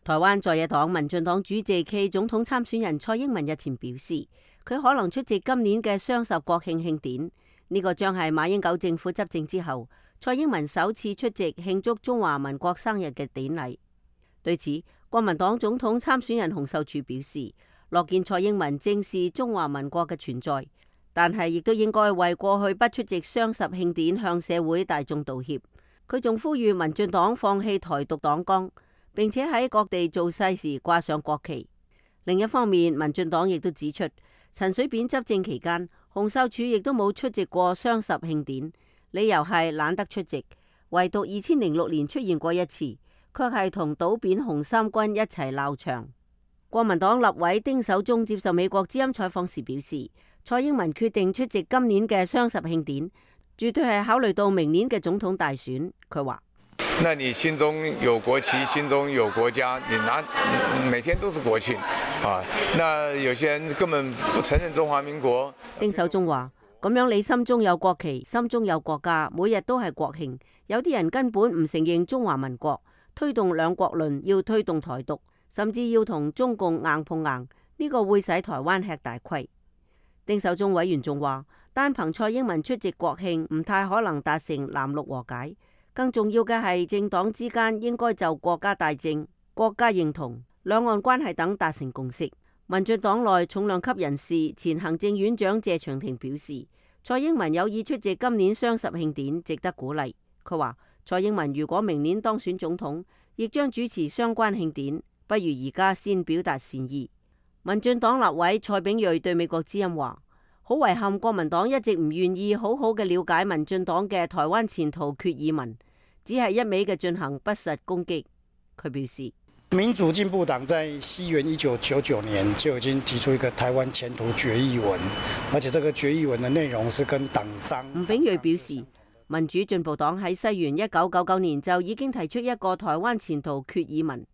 台灣在野黨民進黨主席暨總統參選人蔡英文日前表示，佢可能出席今年嘅雙十國慶慶典，呢個將係馬英九政府執政之後蔡英文首次出席慶祝中華民國生日嘅典禮。對此，國民黨總統參選人洪秀柱表示，樂見蔡英文正視中華民國嘅存在，但係亦都應該為過去不出席雙十慶典向社會大眾道歉。佢仲呼籲民進黨放棄台獨黨綱，並且喺各地造勢時掛上國旗。另一方面，民進黨亦都指出，陳水扁執政期間，洪秀柱亦都冇出席過雙十慶典，理由係懶得出席。唯獨2006年出現過一次，卻係同倒扁紅三軍一齊鬧場。國民黨立委丁守中接受美國之音採訪時表示，蔡英文決定出席今年嘅雙十慶典，絕對係考慮到明年嘅總統大選。佢話：那你心中有國旗，心中有國家，你每天都是國慶啊！那有些人根本不承認中華民國。丁守中話：咁樣你心中有國旗，心中有國家，每日都係國慶。有啲人根本唔承認中華民國，推動兩國論，要推動台獨，甚至要同中共硬碰硬，呢個會使台灣吃大虧。丁守中委員仲話，單憑蔡英文出席國慶唔太可能達成藍綠和解，更重要嘅係政黨之間應該就國家大政、國家認同、兩岸關係等達成共識。民進黨內重量級人士前行政院長謝長廷表示，蔡英文有意出席今年雙十慶典，值得鼓勵。佢話蔡英文如果明年當選總統，亦將主持相關慶典，不如而家先表達善意。民進黨立委蔡炳瑞對美國之音話：好遺憾，國民黨一直唔願意好好嘅了解民進黨嘅台灣前途決議文，只係一味嘅進行不實攻擊。佢表示，民主進步黨在西元1999年就已經提出一個台灣前途決議文，而且這個決議文的內容是跟黨章。吳炳瑞表示，民主進步黨喺西元1999年就已經提出一個台灣前途決議文，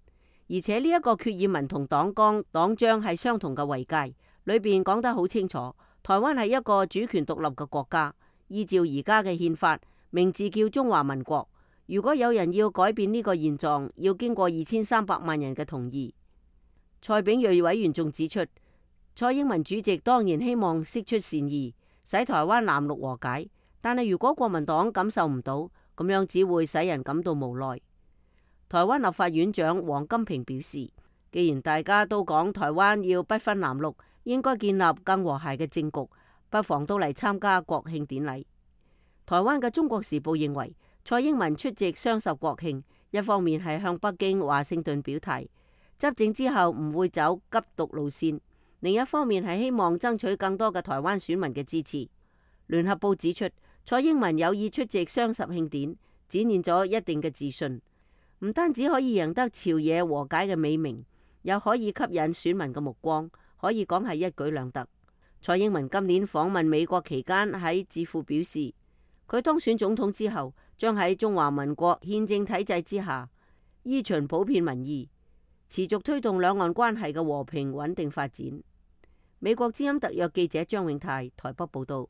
而且呢一個決議文同黨綱、黨章係相同嘅位階，裏邊講得好清楚，台灣係一個主權獨立嘅國家，依照而家嘅憲法，名字叫中華民國。如果有人要改變呢個現狀，要經過2300萬人嘅同意。蔡炳瑞委員仲指出，蔡英文主席當然希望釋出善意，使台灣藍綠和解。但係如果國民黨感受唔到，咁樣只會使人感到無奈。台灣立法院長王金平表示，既然大家都講台灣要不分藍綠，應該建立更和諧嘅政局，不妨都嚟參加國慶典禮。台灣嘅《中國時報》認為，蔡英文出席雙十國慶，一方面係向北京、華盛頓表態，執政之後唔會走急獨路線；另一方面係希望爭取更多嘅台灣選民嘅支持。聯合報指出，蔡英文有意出席雙十慶典，展現咗一定嘅自信，唔單止可以贏得朝野和解嘅美名，又可以吸引選民嘅目光，可以講係一舉兩得。蔡英文今年訪問美國期間喺智庫表示，佢當選總統之後，將喺中華民國憲政體制之下，依循普遍民意，持續推動兩岸關係嘅和平穩定發展。美國之音特約記者張永泰台北報道。